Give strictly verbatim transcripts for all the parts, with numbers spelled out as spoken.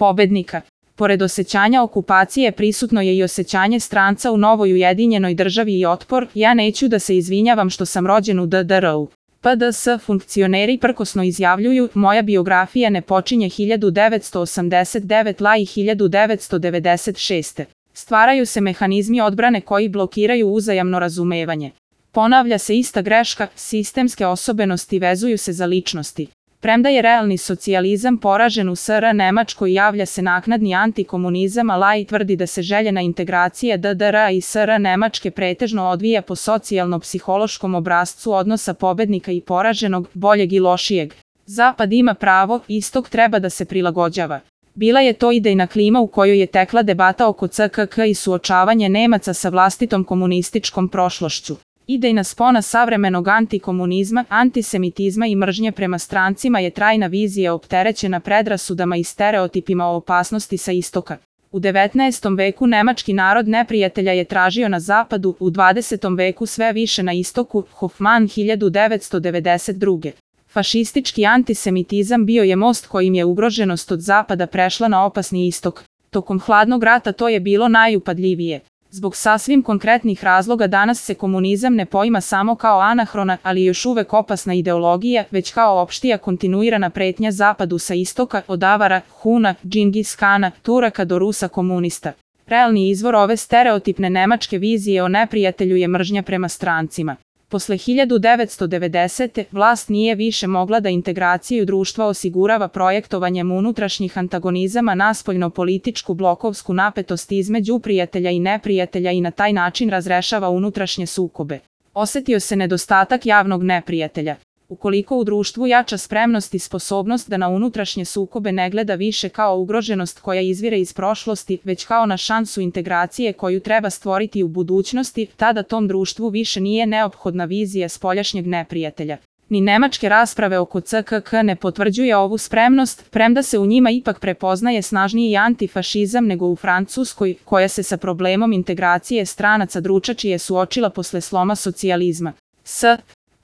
pobednika. Pored osjećanja okupacije prisutno je i osjećanje stranca u novoj ujedinjenoj državi i otpor. Ja neću da se izvinjavam što sam rođen u D D R-u. P D S funkcioneri prkosno izjavljuju, moja biografija ne počinje hiljadu devetsto osamdeset devete la i hiljadu devetsto devedeset šeste. Stvaraju se mehanizmi odbrane koji blokiraju uzajamno razumevanje. Ponavlja se ista greška, sistemske osobenosti vezuju se za ličnosti. Premda je realni socijalizam poražen u S R Nemačkoj, javlja se naknadni antikomunizam, a Lai tvrdi da se željena integracija D D R-a i S R Nemačke pretežno odvija po socijalno-psihološkom obrascu odnosa pobednika i poraženog, boljeg i lošijeg. Zapad ima pravo, istok treba da se prilagođava. Bila je to idejna klima u kojoj je tekla debata oko C K K i suočavanje Nemaca sa vlastitom komunističkom prošlošću. Idejna spona savremenog antikomunizma, antisemitizma i mržnje prema strancima je trajna vizija opterećena predrasudama i stereotipima o opasnosti sa istoka. U devetnaestom veku nemački narod neprijatelja je tražio na zapadu, u dvadesetom veku sve više na istoku. Hoffman hiljadu devetsto devedeset druge. Fašistički antisemitizam bio je most kojim je ugroženost od zapada prešla na opasni istok. Tokom hladnog rata to je bilo najupadljivije. Zbog sasvim konkretnih razloga danas se komunizam ne poima samo kao anahrona, ali još uvek opasna ideologija, već kao opštija kontinuirana pretnja zapadu sa istoka, od Avara, Huna, Džingis Kana, Turaka do Rusa komunista. Realni izvor ove stereotipne nemačke vizije o neprijatelju je mržnja prema strancima. Posle hiljadu devetsto devedesete. vlast nije više mogla da integraciju društva osigurava projektovanjem unutrašnjih antagonizama na spoljno-političku blokovsku napetost između prijatelja i neprijatelja i na taj način razrešava unutrašnje sukobe. Osetio se nedostatak javnog neprijatelja. Ukoliko u društvu jača spremnost i sposobnost da na unutrašnje sukobe ne gleda više kao ugroženost koja izvire iz prošlosti, već kao na šansu integracije koju treba stvoriti u budućnosti, tada tom društvu više nije neophodna vizija spoljašnjeg neprijatelja. Ni nemačke rasprave oko C K K ne potvrđuje ovu spremnost, premda se u njima ipak prepoznaje snažniji antifašizam nego u Francuskoj, koja se sa problemom integracije stranaca dručačije suočila posle sloma socijalizma. S.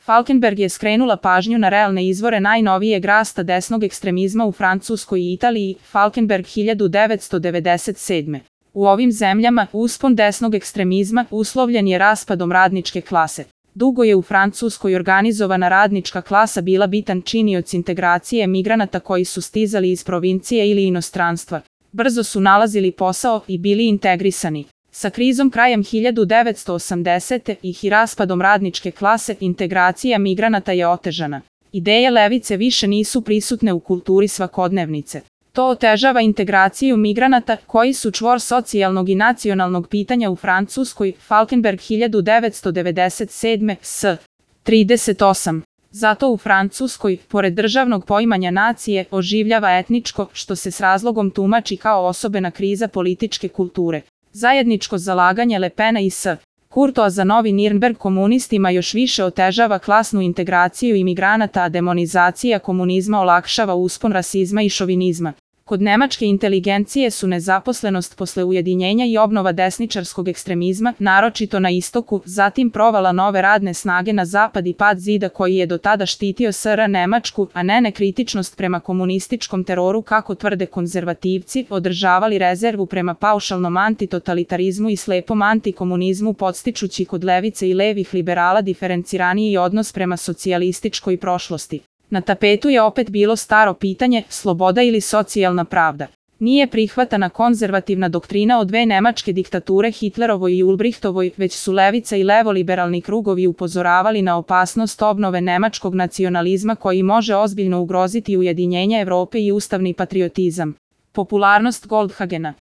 Falkenberg je skrenula pažnju na realne izvore najnovijeg rasta desnog ekstremizma u Francuskoj i Italiji. Falkenberg hiljadu devetsto devedeset sedme. U ovim zemljama uspon desnog ekstremizma uslovljen je raspadom radničke klase. Dugo je u Francuskoj organizovana radnička klasa bila bitan činioc integracije migranata koji su stizali iz provincije ili inostranstva. Brzo su nalazili posao i bili integrisani. Sa krizom krajem hiljadu devetsto osamdesete. i raspadom radničke klase, integracija migranata je otežana. Ideje levice više nisu prisutne u kulturi svakodnevnice. To otežava integraciju migranata, koji su čvor socijalnog i nacionalnog pitanja u Francuskoj. Falkenberg hiljadu devetsto devedeset sedme. S. trideset osam. Zato u Francuskoj, pored državnog poimanja nacije, oživljava etničko, što se s razlogom tumači kao osobena kriza političke kulture. Zajedničko zalaganje Le Pena i S. Kurtoa za novi Nirnberg komunistima još više otežava klasnu integraciju imigranata, a demonizacija komunizma olakšava uspon rasizma i šovinizma. Kod nemačke inteligencije su nezaposlenost posle ujedinjenja i obnova desničarskog ekstremizma, naročito na istoku, zatim provala nove radne snage na zapad i pad zida koji je do tada štitio S R Nemačku, a ne nekritičnost prema komunističkom teroru kako tvrde konzervativci, održavali rezervu prema paušalnom antitotalitarizmu i slepom antikomunizmu podstičući kod levice i levih liberala diferenciraniji odnos prema socijalističkoj prošlosti. Na tapetu je opet bilo staro pitanje, sloboda ili socijalna pravda. Nije prihvatana konzervativna doktrina o dve nemačke diktature Hitlerovoj i Ulbrichtovoj, već su levica i levoliberalni krugovi upozoravali na opasnost obnove nemačkog nacionalizma koji može ozbiljno ugroziti ujedinjenje Evrope i ustavni patriotizam. Popularnost Goldhagena.